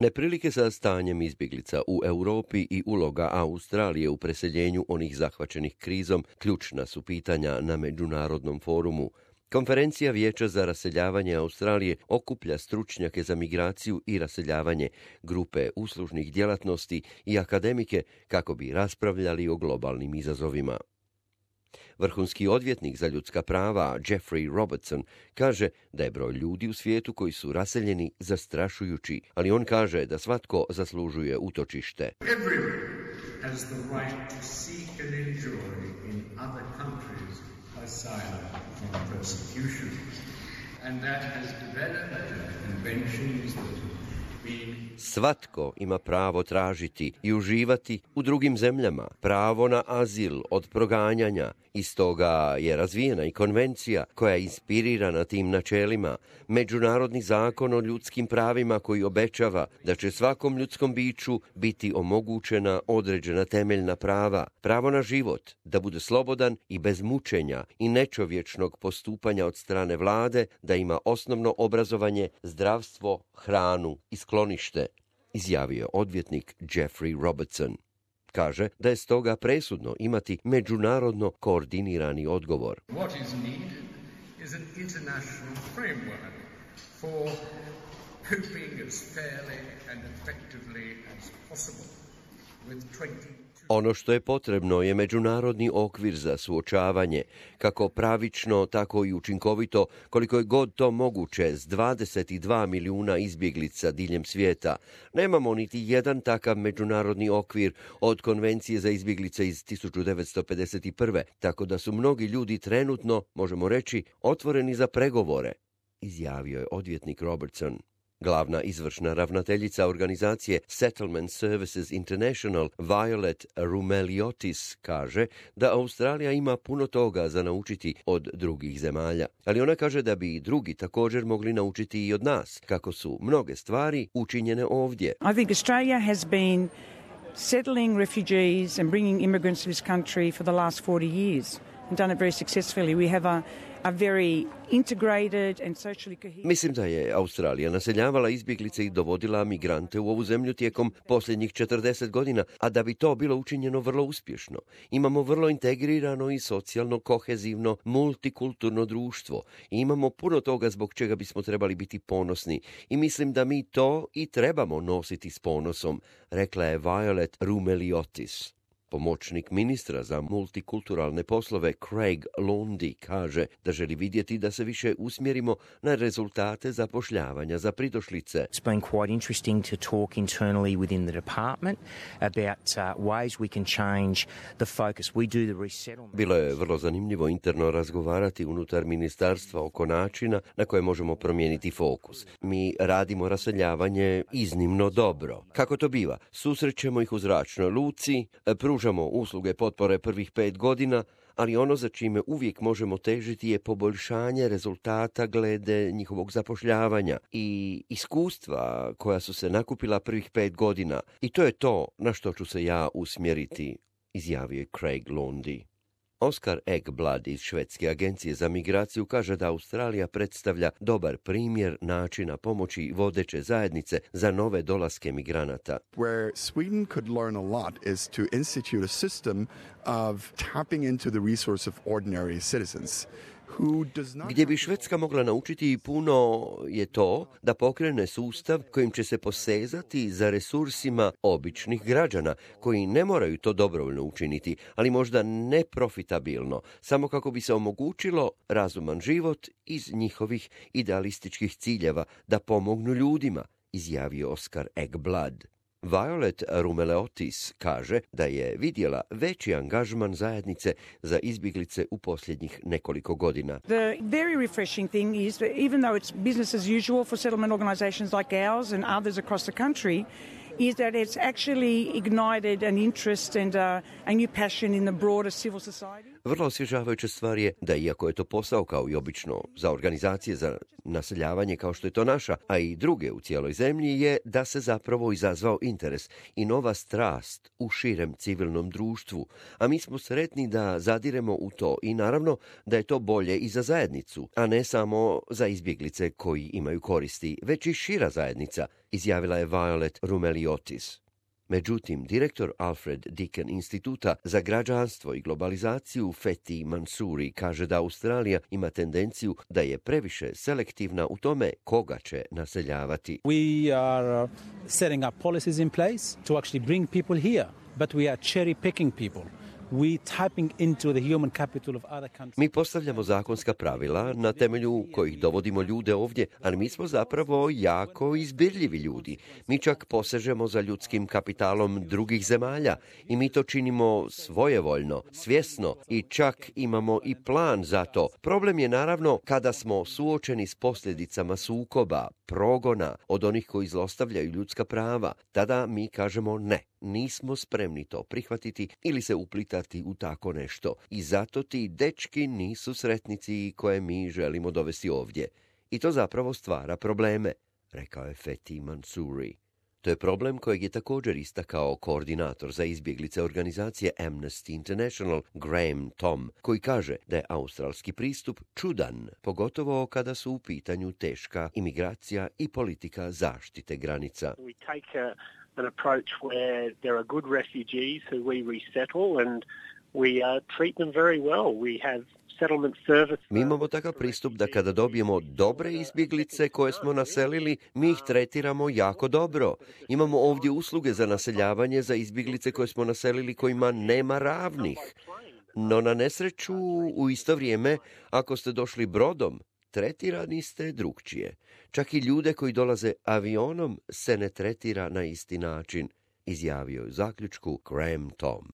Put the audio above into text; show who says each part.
Speaker 1: Neprilike sa stanjem izbjeglica u Europi i uloga Australije u preseljenju onih zahvaćenih krizom ključna su pitanja na Međunarodnom forumu. Konferencija Vijeća za raseljavanje Australije okuplja stručnjake za migraciju i raseljavanje, grupe uslužnih djelatnosti i akademike kako bi raspravljali o globalnim izazovima. Vrhunski odvjetnik za ljudska prava Jeffrey Robertson kaže da je broj ljudi u svijetu koji su raseljeni zastrašujući, ali on kaže da svatko zaslužuje utočište.
Speaker 2: Everyone has the right to seek and enjoy in other countries asylum from persecution, and that has developed conventions that have been...
Speaker 1: Svatko ima pravo tražiti i uživati u drugim zemljama, pravo na azil od proganjanja. Iz toga je razvijena i konvencija koja je inspirirana tim načelima, međunarodni zakon o ljudskim pravima koji obećava da će svakom ljudskom biću biti omogućena određena temeljna prava, pravo na život, da bude slobodan i bez mučenja i nečovječnog postupanja od strane vlade, da ima osnovno obrazovanje, zdravstvo, hranu i sklonište, izjavio odvjetnik Jeffrey Robertson. Kaže da je stoga presudno imati međunarodno koordinirani odgovor.
Speaker 2: What is needed is an international framework for coping as fairly and effectively as possible with 22...
Speaker 1: Ono što je potrebno je međunarodni okvir za suočavanje, kako pravično, tako i učinkovito, koliko je god to moguće s 22 milijuna izbjeglica diljem svijeta. Nemamo niti jedan takav međunarodni okvir od konvencije za izbjeglice iz 1951. Tako da su mnogi ljudi trenutno, možemo reći, otvoreni za pregovore, izjavio je odvjetnik Robertson. Glavna izvršna ravnateljica organizacije Settlement Services International, Violet Roumeliotis, kaže da Australija ima puno toga za naučiti od drugih zemalja. Ali ona kaže da bi i drugi također mogli naučiti i od nas, kako su mnoge stvari učinjene ovdje.
Speaker 3: I think Australia has been settling refugees and bringing immigrants to this country for the last 40 years and done it very successfully. We have a very integrated and socially cohesive...
Speaker 1: Mislim da je Australija naseljavala izbjeglice i dovodila migrante u ovu zemlju tijekom posljednjih 40 godina, a da bi to bilo učinjeno vrlo uspješno. Imamo vrlo integrirano i socijalno kohezivno multikulturno društvo i imamo puno toga zbog čega bismo trebali biti ponosni i mislim da mi to i trebamo nositi s ponosom, rekla je Violet Roumeliotis. Pomoćnik ministra za multikulturalne poslove Craig Lundy kaže da želi vidjeti da se više usmjerimo na rezultate zapošljavanja za pridošlice.
Speaker 4: It's been quite interesting to talk internally within the department about ways we can change the focus. We do the resettlement.
Speaker 1: Bilo je vrlo zanimljivo interno razgovarati unutar ministarstva oko načina na koje možemo promijeniti fokus. Mi radimo raseljavanje iznimno dobro. Kako to biva? Susrećemo ih u zračnoj luci, pružamo usluge potpore prvih 5 godina, ali ono za čime uvijek možemo težiti je poboljšanje rezultata glede njihovog zapošljavanja i iskustva koja su se nakupila prvih 5 godina. I to je to na što ću se ja usmjeriti, izjavio je Craig Lundy. Oscar Ekblad iz Švedske agencije za migraciju kaže da Australija predstavlja dobar primjer načina pomoći vodeće zajednice za nove dolaske migranata.
Speaker 5: Where Sweden could learn a lot is to institute a system of tapping into the resource of ordinary citizens.
Speaker 1: Gdje bi Švedska mogla naučiti puno je to da pokrene sustav kojim će se posezati za resursima običnih građana koji ne moraju to dobrovoljno učiniti, ali možda neprofitabilno, samo kako bi se omogućilo razuman život iz njihovih idealističkih ciljeva da pomognu ljudima, izjavio Oscar Ekblad. Violet Roumeliotis kaže da je vidjela veći angažman zajednice za izbjeglice u posljednjih nekoliko godina.
Speaker 3: The very refreshing thing is that even though it's business as usual for settlement organizations like ours and others across the country, is that it's actually ignited an interest and a new passion in the broader civil society.
Speaker 1: Vrlo osvježavajuća stvar je da iako je to posao kao i obično za organizacije za naseljavanje kao što je to naša, a i druge u cijeloj zemlji, je da se zapravo izazvao interes i nova strast u širem civilnom društvu, a mi smo sretni da zadiremo u to i naravno da je to bolje i za zajednicu, a ne samo za izbjeglice koji imaju koristi, već i šira zajednica, izjavila je Violet Rumeliotis. Međutim, direktor Alfred Deakin instituta za građanstvo i globalizaciju Fethi Mansouri kaže da Australija ima tendenciju da je previše selektivna u tome koga će naseljavati.
Speaker 6: We are setting up policies in place to actually bring people here, but we are cherry picking people.
Speaker 1: Mi postavljamo zakonska pravila na temelju kojih dovodimo ljude ovdje, ali mi smo zapravo jako izbirljivi ljudi. Mi čak posežemo za ljudskim kapitalom drugih zemalja i mi to činimo svojevoljno, svjesno i čak imamo i plan za to. Problem je naravno kada smo suočeni s posljedicama sukoba, progona od onih koji zlostavljaju ljudska prava. Tada mi kažemo ne. Nismo spremni to prihvatiti ili se uplitati u tako nešto. I zato ti dečki nisu sretnici koje mi želimo dovesti ovdje. I to zapravo stvara probleme, rekao je Fethi Mansouri. To je problem kojeg je također istakao koordinator za izbjeglice organizacije Amnesty International Graham Tom, koji kaže da je australski pristup čudan, pogotovo kada su u pitanju teška imigracija i politika zaštite granica.
Speaker 7: An approach where there are good refugees who we resettle and we treat them very well. We have settlement service.
Speaker 1: Mi imamo takav pristup da kada dobijemo dobre izbjeglice koje smo naselili, mi ih tretiramo jako dobro. Imamo ovdje usluge za naseljavanje za izbjeglice koje smo naselili kojima nema ravnih. No na nesreću u isto vrijeme, ako ste došli brodom, tretirani ste drukčije. Čak i ljude koji dolaze avionom se ne tretira na isti način, izjavio je u zaključku Graham Tom.